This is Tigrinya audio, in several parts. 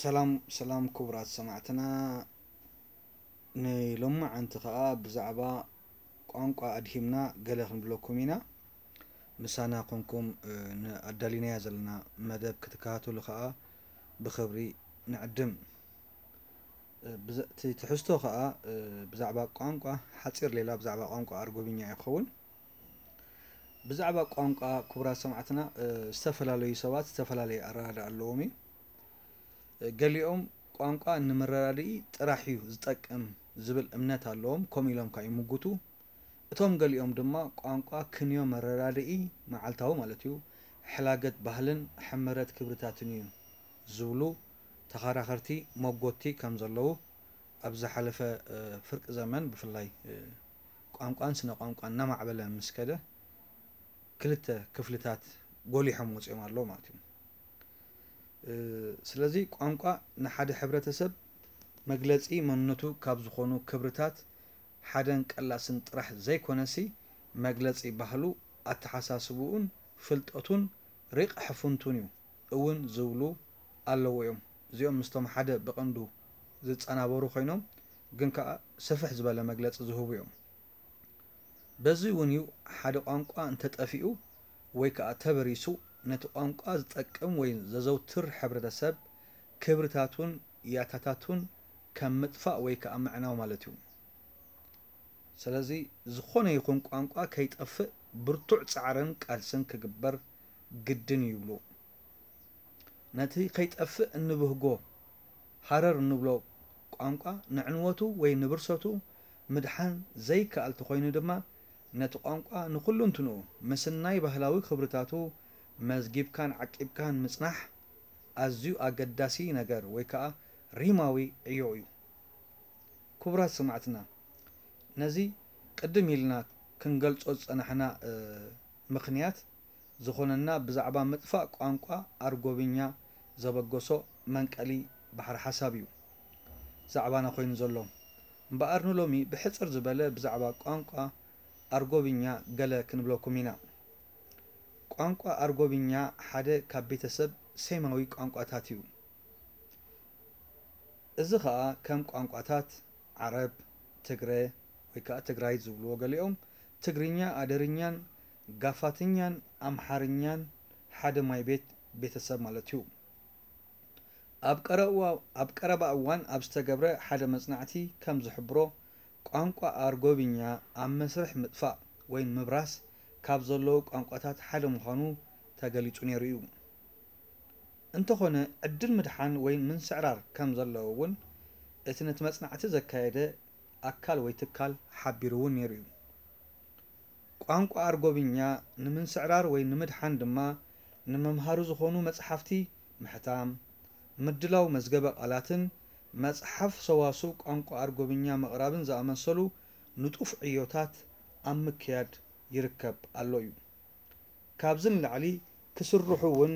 ሰላም ሰላም ክቡራት ሰማዕትና፣ ንሎማዓንቲ ኸኣ ብዛዕባ ቋንቋ ኣድሂምና ገለ ክንብለኩም ኢና። ምሳና ኮንኩም፣ እ፣ ንኣዳሊናያ ዘለና መደብ ክትከታተሉ ኸኣ ብኽብሪ ንዕድም። እ፣ ብዘ-፣ እቲ ትሕዝቶ ኸኣ፣ እ፣ ብዛዕባ ቋንቋ፣ ሓጺር ሌላ ብዛዕባ ቋንቋ ኣርጎብኛ ይኸውን። ብዛዕባ ቋንቋ ክቡራት ሰማዕትና፣ እ፣ ዝተፈላለዩ ሰባት ዝተፈላለየ ኣረዳድኣ ኣለዎም እዩ። እ፣ ገሊኦም ቋንቋ ንመረዳድኢ ጥራሕ እዩ ዝጠቅም ዝብል እምነት ኣለዎም፣ ከምኡ ኢሎም ከኣ ይምጉቱ። እቶም ገሊኦም ድማ ቋንቋ ክንዮ መረዳድኢ መዓልታዊ ማለት እዩ፣ ሕላገት ባህልን ሕመረት ክብርታትን እዩ ዝብሉ ተኸራኸርቲ መጎቲ ከም ዘለዉ ኣብ ዝሓለፈ፣ እ፣ ፍርቂ ዘመን ብፍላይ፣ እ፣ ቋንቋን ስነ ቋንቋን እናማዕበለ ምስ ከደ ክልተ ክፍልታት ጎሊሖም ወፂኦም ኣለዉ ማለት እዩ። እ፣ ስለዚ ቋንቋ ንሓደ ሕብረተሰብ መግለፂ መንነቱ ካብ ዝኾኑ ክብርታት ሓደን ቀላስን ጥራሕ ዘይኮነሲ መግለፂ ባህሉ፣ ኣተሓሳስብኡን ፍልጠቱን ሪቕ ሕፉንቱን እዩ እውን ዝብሉ ኣለዉ እዮም። እዚኦም ምስቶም ሓደ ብቐንዱ ዝጸናበሩ ኮይኖም ግን ከኣ ስፍሕ ዝበለ መግለጺ ዝህቡ እዮም። በዚ እውን እዩ ሓደ ቋንቋ እንተጠፊኡ ወይ ከኣ ተበሪሱ ነቲ ቋንቋ ዝጠቅም ወይ ዘዘውትር ሕብረተሰብ ክብርታቱን ያታታቱን ከም ምጥፋእ ወይ ከኣ ምዕናው ማለት እዩ። ስለዚ ዝኾነ ይኹን ቋንቋ ከይጠፍእ ብርቱዕ ጻዕርን ቃልስን ክግበር ግድን እዩ ይብሉ። ነቲ ከይጠፍእ እንብህጎ ሃረር እንብሎ ቋንቋ ንዕንወቱ ወይ ንብርሰቱ ምድሓን ዘይከኣል ተኾይኑ ድማ ነቲ ቋንቋ ንኹሉንትንኡ ምስናይ ባህላዊ ክብርታቱ መዝጊብካን ዓቂብካን ምጽናሕ ኣዝዩ ኣገዳሲ ነገር ወይ ከኣ ሪማዊ ዕዮ እዩ። ክቡራት ሰማዕትና፣ ነዚ ቅድም ኢልና ክንገልጾ ዝጸናሕና፣ እ፣ ምኽንያት ዝኾነና ብዛዕባ ምጥፋእ ቋንቋ ኣርጎብኛ ዘበገሶ መንቀሊ ባሕሪ ሓሳብ እዩ ዛዕባና ኮይኑ ዘሎ። እምበኣር ንሎሚ ብሕጽር ዝበለ ብዛዕባ ቋንቋ ኣርጎብኛ ገለ ክንብለኩም ኢና። ቋንቋ ኣርጎብኛ ሓደ ካብ ቤተሰብ ሴማዊ ቋንቋታት እዩ። እዚ ኸኣ ከም ቋንቋታት ዓረብ፣ ትግረ ወይ ከኣ ትግራይት ዝብልዎ ገሊኦም፣ ትግርኛ፣ ኣደርኛን ጋፋትኛን ኣምሓርኛን ሓደ ማይ ቤት ቤተሰብ ማለት እዩ። ኣብ ቀረዋ-፣ ኣብ ቀረባ እዋን ኣብ ዝተገብረ ሓደ መጽናዕቲ ከም ዝሕብሮ፣ ቋንቋ ኣርጎብኛ ኣብ መስርሕ ምጥፋእ ወይ ምብራስ ካብ ዘለዉ ቋንቋታት ሓደ ምዃኑ ተገሊጹ ነይሩ እዩ። እንተኾነ፣ ዕድል ምድሓን ወይ ምንስዕራር ከም ዘለዎ እውን እቲ ነቲ መጽናዕቲ ዘካየደ ኣካል ወይ ትካል ሓቢሩ እውን ነይሩ እዩ። ቋንቋ ኣርጎብኛ ንምንስዕራር ወይ ንምድሓን ድማ፣ ንመምሃሪ ዝኾኑ መጽሓፍቲ ምሕታም፣ ምድላው መዝገበ ቃላትን መጽሓፍ ሰዋስው ቋንቋ ኣርጎብኛ ምቕራብን ዝኣመሰሉ ንጡፍ ዕዮታት ኣብ ምክያድ ይርከብ ኣሎ እዩ። ካብዚ ንላዕሊ ክስርሑ እውን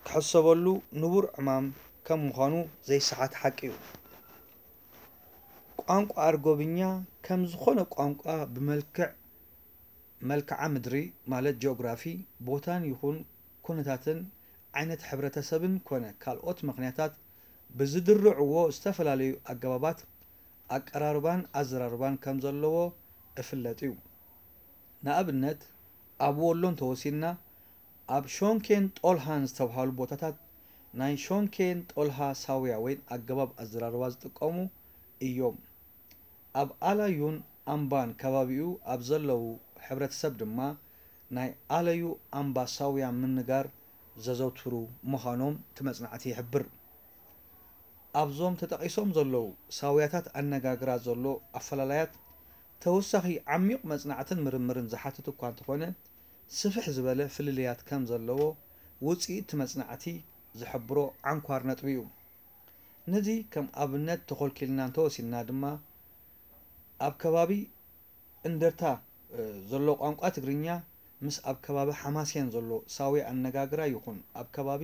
ክሕሰበሉ ንቡር ዕማም ከም ምዃኑ ዘይሰሓት ሓቂ እዩ። ቋንቋ ኣርጎብኛ ከም ዝኾነ ቋንቋ ብመልክዕ መልክዓ ምድሪ ማለት ጂኦግራፊ፣ ቦታን ይኹን ኩነታትን ዓይነት ሕብረተሰብን ኮነ ካልኦት ምኽንያታት ብዝድርዕዎ ዝተፈላለዩ ኣገባባት ኣቀራርባን ኣዘራርባን ከም ዘለዎ እፍለጥ እዩ። ንኣብነት፣ ኣብ ወሎ እንተወሲድና፣ ኣብ ሾንኬን ጦልሃን ዝተብሃሉ ቦታታት ናይ ሾንኬን ጦልሃ ሳውያ ወይ ኣገባብ ኣዘራርባ ዝጥቀሙ እዮም። ኣብ ኣላዩን ኣምባን ከባቢኡ ኣብ ዘለዉ ሕብረተሰብ ድማ ናይ ኣለዩ ኣምባ ሳውያ ምንጋር ዘዘውትሩ ምዃኖም እቲ መጽናዕቲ ይሕብር። ኣብዞም ተጠቒሶም ዘለዉ ሳውያታት ኣነጋግራ ዘሎ ኣፈላላያት ተወሳኺ ዓሚቕ መጽናዕትን ምርምርን ዝሓትት እኳ እንተኾነ፣ ስፍሕ ዝበለ ፍልልያት ከም ዘለዎ ውጽኢት እቲ መጽናዕቲ ዝሕብሮ ዓንኳር ነጥቢ እዩ። ነዚ ከም ኣብነት ተኾልኪልና እንተወሲድና ድማ፣ ኣብ ከባቢ እንደርታ፣ እ፣ ዘሎ ቋንቋ ትግርኛ ምስ ኣብ ከባቢ ሓማሴን ዘሎ ሳዊ ኣነጋግራ ይኹን ኣብ ከባቢ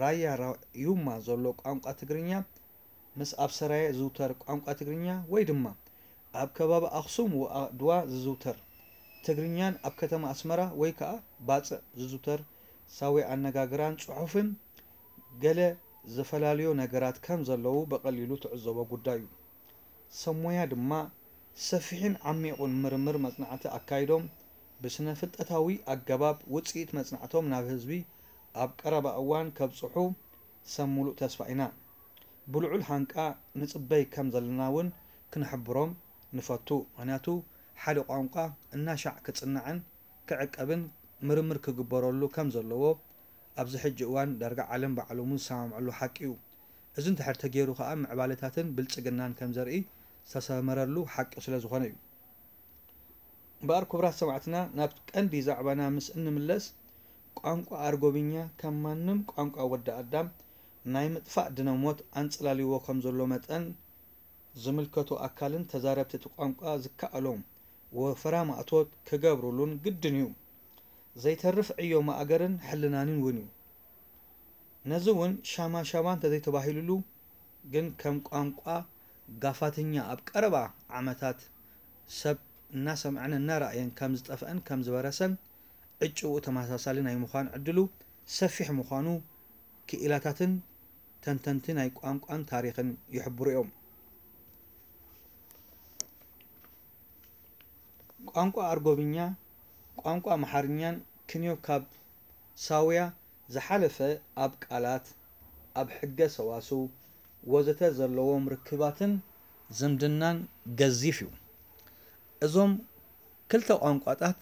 ራያ ራዩማ ዘሎ ቋንቋ ትግርኛ ምስ ኣብ ሰራየ ዝዝውተር ቋንቋ ትግርኛ ወይ ድማ ኣብ ከባቢ ኣኽሱም ወኣድዋ ዝዝውተር ትግርኛን ኣብ ከተማ ኣስመራ ወይ ከኣ ባጽዕ ዝዝውተር ሳዊ ኣነጋግራን ጽሑፍን ገለ ዘፈላልዮ ነገራት ከም ዘለዉ ብቐሊሉ ትዕዘቦ ጉዳይ እዩ። ሰብ ሞያ ድማ ሰፊሕን ዓሚቑን ምርምር መጽናዕቲ ኣካይዶም፣ ብስነ ፍልጠታዊ ኣገባብ ውጽኢት መጽናዕቶም ናብ ህዝቢ ኣብ ቀረባ እዋን ከብጽሑ ሰብ ምሉእ ተስፋ ኢና። ብልዑል ሃንቃ ንጽበይ ከም ዘለና እውን ክንሕብሮም ንፈቱ። ምኽንያቱ ሓደ ቋንቋ እናሻዕ ክጽናዕን ክዕቀብን ምርምር ክግበረሉ ከም ዘለዎ ኣብዚ ሕጂ እዋን ዳርጋ ዓለም ብዓለሙ ዝሰማምዐሉ ሓቂ እዩ። እዚ እንድሕር ተገይሩ ከኣ ምዕባለታትን ብልጽግናን ከም ዘርኢ ዝተሰመረሉ ሓቂ ስለ ዝኾነ እዩ። እምበኣር ክቡራት ሰማዕትና፣ ናብ ቀንዲ ዛዕባና ምስ እንምለስ፣ ቋንቋ ኣርጎብኛ ከም ማንም ቋንቋ ወዲ ኣዳም ናይ ምጥፋእ ድነ ሞት ኣንጸላልይዎ ከም ዘሎ መጠን፣ ዝምልከቶ ኣካልን ተዛረብቲ እቲ ቋንቋ ዝከኣሎም ወፈራ ማእቶት ክገብሩሉን ግድን እዩ። ዘይተርፍ ዕዮ ማእገርን ሕልናንን እውን እዩ። ነዚ እውን ሻማ ሻማ እንተዘይተባሂሉሉ ግን ከም ቋንቋ ጋፋትኛ ኣብ ቀረባ ዓመታት ሰብ እናሰምዐን እናረኣየን ከም ዝጠፍአን ከም ዝበረሰን ዕጭኡ ተመሳሳሊ ናይ ምዃን ዕድሉ ሰፊሕ ምዃኑ ክኢላታትን ተንተንቲ ናይ ቋንቋን ታሪኽን ይሕብሩ እዮም። ቋንቋ ኣርጎብኛ፣ ቋንቋ ኣምሓርኛን ክንዮ ካብ ሳውያ ዝሓለፈ ኣብ ቃላት፣ ኣብ ሕገ ሰዋስው ወዘተ ዘለዎም ርክባትን ዝምድናን ገዚፍ እዩ። እዞም ክልተ ቋንቋታት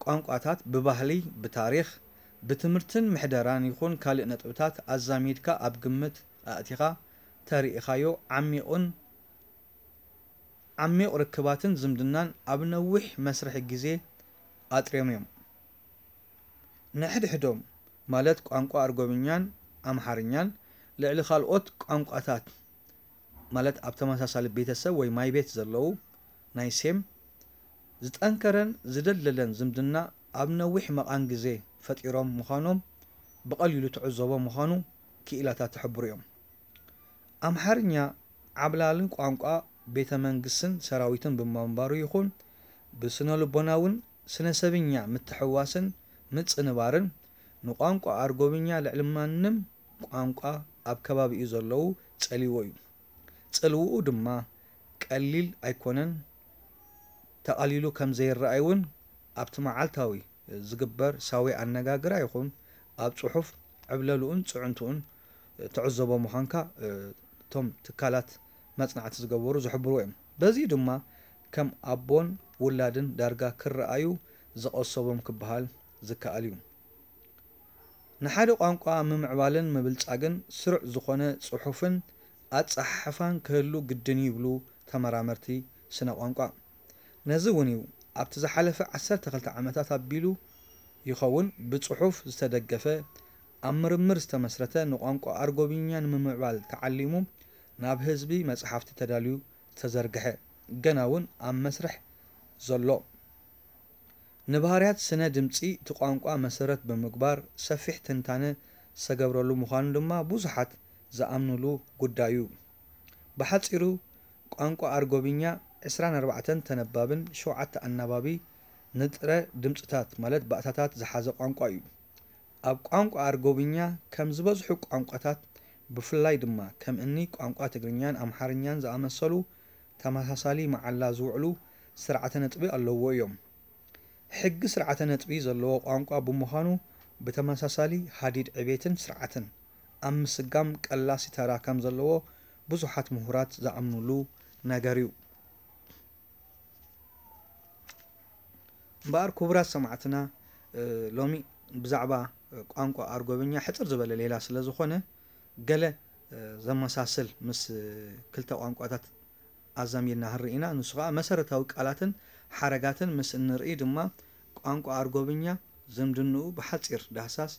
ቋንቋታት ብባህሊ፣ ብታሪኽ፣ ብትምህርትን ምሕደራን ይኹን ካልእ ነጥብታት ኣዛሚድካ ኣብ ግምት ኣእቲኻ ተሪኢኻዮ ዓሚቕን ዓሚቕ ርክባትን ዝምድናን ኣብ ነዊሕ መስርሕ ግዜ ኣጥርዮም እዮም። ንሕድሕዶም ማለት ቋንቋ ኣርጎብኛን ኣምሓርኛን ልዕሊ ካልኦት ቋንቋታት ማለት ኣብ ተመሳሳሊ ቤተሰብ ወይ ማይቤት ዘለዉ ናይ ሴም ዝጠንከረን ዝደልደለን ዝምድና ኣብ ነዊሕ መቓን ግዜ ፈጢሮም ምዃኖም ብቐሊሉ ትዕዘቦ ምዃኑ ክኢላታት ትሕብሩ እዮም። ኣምሓርኛ ዓብላልን ቋንቋ ቤተ መንግስትን ሰራዊትን ብምንባሩ ይኹን ብስነ ልቦናውን ስነ ሰብኛ ምትሕዋስን ምጽንባርን ንቋንቋ ኣርጎብኛ ልዕሊ ማንም ቋንቋ ኣብ ከባቢኡ ዘለዉ ጸልይዎ እዩ። ጽልውኡ ድማ ቀሊል ኣይኮነን። ተቓሊሉ ከም ዘይረኣይ እውን ኣብቲ መዓልታዊ ዝግበር ሳዊ ኣነጋግራ ይኹን ኣብ ጽሑፍ ዕብለልኡን ጽዕንትኡን ትዕዘቦ ምዃንካ እቶም ትካላት መጽናዕቲ ዝገበሩ ዝሕብርዎ እዮም። በዚ ድማ ከም ኣቦን ውላድን ዳርጋ ክረኣዩ ዝቐሰቦም ክበሃል ዝከኣል እዩ። ንሓደ ቋንቋ ምምዕባልን ምብልጻግን ስሩዕ ዝኾነ ጽሑፍን ኣጸሓሕፋን ክህሉ ግድን ይብሉ ተመራመርቲ ስነ ቋንቋ። ነዚ እውን እዩ ኣብቲ ዝሓለፈ ዓሰርተ ክልተ ዓመታት ኣቢሉ ይኸውን ብጽሑፍ ዝተደገፈ ኣብ ምርምር ዝተመስረተ ንቋንቋ ኣርጎብኛ ንምምዕባል ተዓሊሙ ናብ ህዝቢ መጽሓፍቲ ተዳልዩ ዝተዘርግሐ ገና እውን ኣብ መስርሕ ዘሎ ንባህርያት ስነ ድምጺ እቲ ቋንቋ መሰረት ብምግባር ሰፊሕ ትንታነ ዝተገብረሉ ምዃኑ ድማ ብዙሓት ዝኣምኑሉ ጉዳይ እዩ። ብሓጺሩ ቋንቋ ኣርጎብኛ ዕስራን ኣርባዕተን ተነባብን ሸውዓተ ኣናባቢ ንጥረ ድምጽታት ማለት ባእታታት ዝሓዘ ቋንቋ እዩ። ኣብ ቋንቋ ኣርጎብኛ ከም ዝበዝሑ ቋንቋታት ብፍላይ ድማ ከም እኒ ቋንቋ ትግርኛን ኣምሓርኛን ዝኣመሰሉ ተመሳሳሊ መዓላ ዝውዕሉ ስርዓተ ነጥቢ ኣለዎ እዮም። ሕጊ ስርዓተ ነጥቢ ዘለዎ ቋንቋ ብምዃኑ ብተመሳሳሊ ሃዲድ ዕቤትን ስርዓትን ኣብ ምስጋም ቀላሲ ተራ ከም ዘለዎ ብዙሓት ምሁራት ዝኣምኑሉ ነገር እዩ። እምበኣር ክቡራት ሰማዕትና ሎሚ ብዛዕባ ቋንቋ ኣርጎብኛ ሕፅር ዝበለ ሌላ ስለ ዝኾነ ገለ ዘመሳስል ምስ ክልተ ቋንቋታት ኣዛሚድና ክንርኢ ኢና። ንሱ ከዓ መሰረታዊ ቃላትን ሓረጋትን ምስ እንርኢ ድማ ቋንቋ ኣርጎብኛ ዝምድንኡ ብሓፂር ዳህሳስ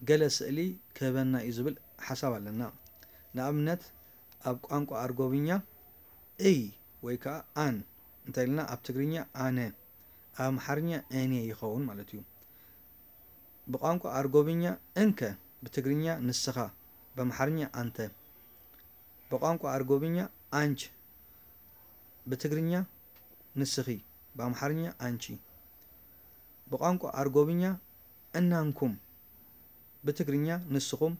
ገለ ስእሊ ክህበና እዩ ዝብል ሓሳብ ኣለና። ንኣብነት ኣብ ቋንቋ ኣርጎብኛ እይ ወይ ከዓ ኣን እንተኢልና ኣብ ትግርኛ ኣነ፣ ኣብ ኣምሓርኛ እኔ ይኸውን ማለት እዩ። ብቋንቋ ኣርጎብኛ እንከ ብትግርኛ ንስኻ፣ ብኣምሓርኛ ኣንተ። ብቋንቋ ኣርጎብኛ ኣንች፣ ብትግርኛ ንስኺ፣ ብኣምሓርኛ ኣንቺ። ብቋንቋ ኣርጎብኛ እናንኩም፣ ብትግርኛ ንስኹም፣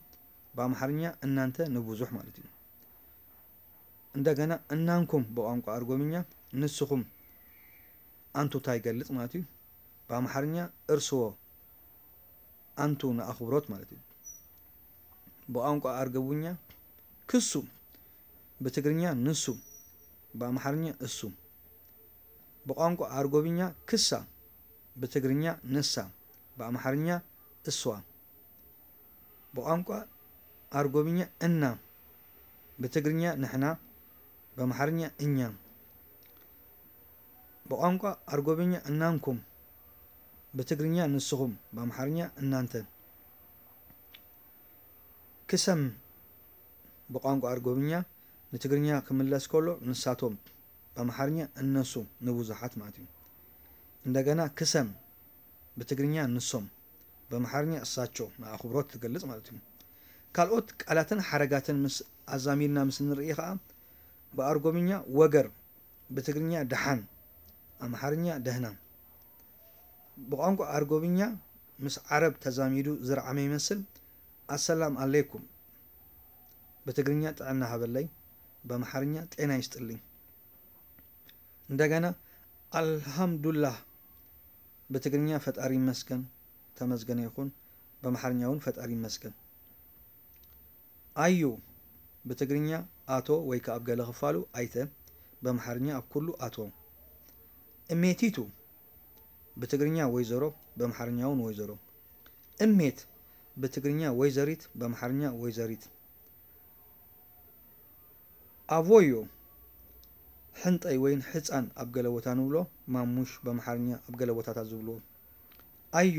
ብኣምሓርኛ እናንተ ንብዙሕ ማለት እዩ። እንደገና እናንኩም ብቋንቋ ኣርጎብኛ ንስኹም ኣንቱታ ይገልጽ ማለት እዩ። ብኣምሓርኛ እርስዎ ኣንቱ ንኣኽብሮት ማለት እዩ። ብቋንቋ ኣርጎብኛ ክሱ ብትግርኛ ንሱ ብኣምሓርኛ እሱ። ብቋንቋ ኣርጎብኛ ክሳ ብትግርኛ ንሳ ብኣምሓርኛ እሷ። ብቋንቋ ኣርጎብኛ እና ብትግርኛ ንሕና ብኣምሓርኛ እኛ። ብቋንቋ ኣርጎብኛ እናንኩም ብትግርኛ ንስኹም ብኣምሓርኛ እናንተ። ክሰም ብቋንቋ ኣርጎብኛ ንትግርኛ ክምለስ ከሎ ንሳቶም ብኣምሓርኛ እነሱ ንብዙሓት ማለት እዩ። እንደገና ክሰም ብትግርኛ ንሶም ብኣምሓርኛ እሳቸው ንኣኽብሮት ትገልጽ ማለት እዩ። ካልኦት ቃላትን ሓረጋትን ምስ ኣዛሚድና ምስ ንርኢ ኸኣ ብኣርጎብኛ ወገር ብትግርኛ ደሓን ኣምሓርኛ ደህና። ብቋንቋ ኣርጎብኛ ምስ ዓረብ ተዛሚዱ ዝረዓመ ይመስል ኣሰላም ኣለይኩም ብትግርኛ ጥዕና ሃበለይ ብኣምሓርኛ ጤና ይስጥልኝ። እንደገና ኣልሃምዱላህ ብትግርኛ ፈጣሪ ይመስገን ተመስገነ ይኹን ብኣምሓርኛ እውን ፈጣሪ ይመስገን። ኣዩ ብትግርኛ ኣቶ ወይ ከዓ ኣብ ገለ ክፋሉ ኣይተ ብኣምሓርኛ ኣብ ኩሉ ኣቶ። እሜቲቱ ብትግርኛ ወይዘሮ ብኣምሓርኛ እውን ወይዘሮ። እሜት ብትግርኛ ወይዘሪት ብኣምሓርኛ ወይዘሪት። ኣቮዮ ሕንጠይ ወይን ሕፃን ኣብ ገለ ቦታ ንብሎ ማሙሽ ብኣምሓርኛ ኣብ ገለ ቦታታት ዝብልዎ። ኣዩ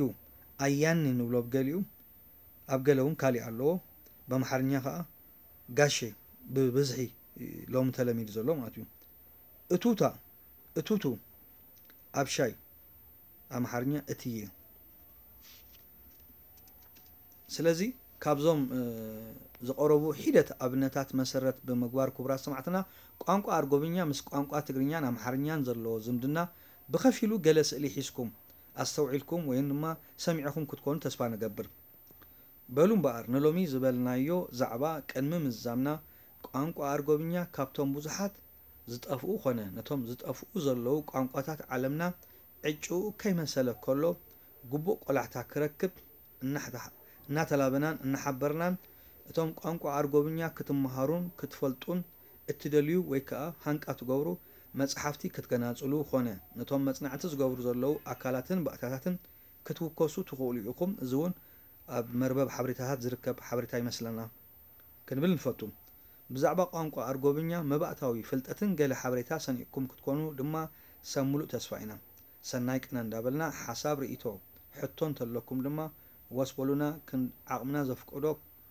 ኣያኒ ንብሎ ኣብ ገሊኡ ኣብ ገለ እውን ካሊእ ኣለዎ። ብኣምሓርኛ ከዓ ጋሼ ብብዝሒ ሎሚ ተለሚዱ ዘሎ ማለት እዩ። እቱታ እቱቱ ኣብ ሻይ ኣምሓርኛ እትዬ። ስለዚ ካብዞም ዝቐረቡ ሒደት ኣብነታት መሰረት ብምግባር ክቡራት ሰማዕትና ቋንቋ ኣርጎብኛ ምስ ቋንቋ ትግርኛን ኣምሓርኛን ዘለዎ ዝምድና ብኸፊሉ ገለ ስእሊ ሒዝኩም ኣስተውዒልኩም ወይም ድማ ሰሚዕኹም ክትኮኑ ተስፋ ንገብር። በሉ እምበኣር ንሎሚ ዝበልናዮ ዛዕባ ቅድሚ ምዝዛምና ቋንቋ ኣርጎብኛ ካብቶም ብዙሓት ዝጠፍኡ ኾነ ነቶም ዝጠፍኡ ዘለዉ ቋንቋታት ዓለምና ዕጭኡ ከይመሰለ ከሎ ግቡእ ቆላሕታ ክረክብ እናተላበናን እናሓበርናን እቶም ቋንቋ ኣርጎብኛ ክትመሃሩን ክትፈልጡን እትደልዩ ወይ ከዓ ሃንቃ ትገብሩ መፅሓፍቲ ክትገናፅሉ ኾነ ነቶም መፅናዕቲ ዝገብሩ ዘለዉ ኣካላትን ባእታታትን ክትውከሱ ትኽእሉ ኢኹም። እዚ እውን ኣብ መርበብ ሓበሬታታት ዝርከብ ሓበሬታ ይመስለና ክንብል ንፈቱ። ብዛዕባ ቋንቋ ኣርጎብኛ መባእታዊ ፍልጠትን ገለ ሓበሬታ ሰኒቕኩም ክትኮኑ ድማ ሰብ ሙሉእ ተስፋ ኢና። ሰናይ ቅነ እንዳበልና ሓሳብ ርእይቶ ሕቶ እንተለኩም ድማ ወስ በሉና ዓቕምና ዘፍቅዶ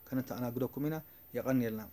ከነተኣናግደኩም ኢና። የቐንየልና።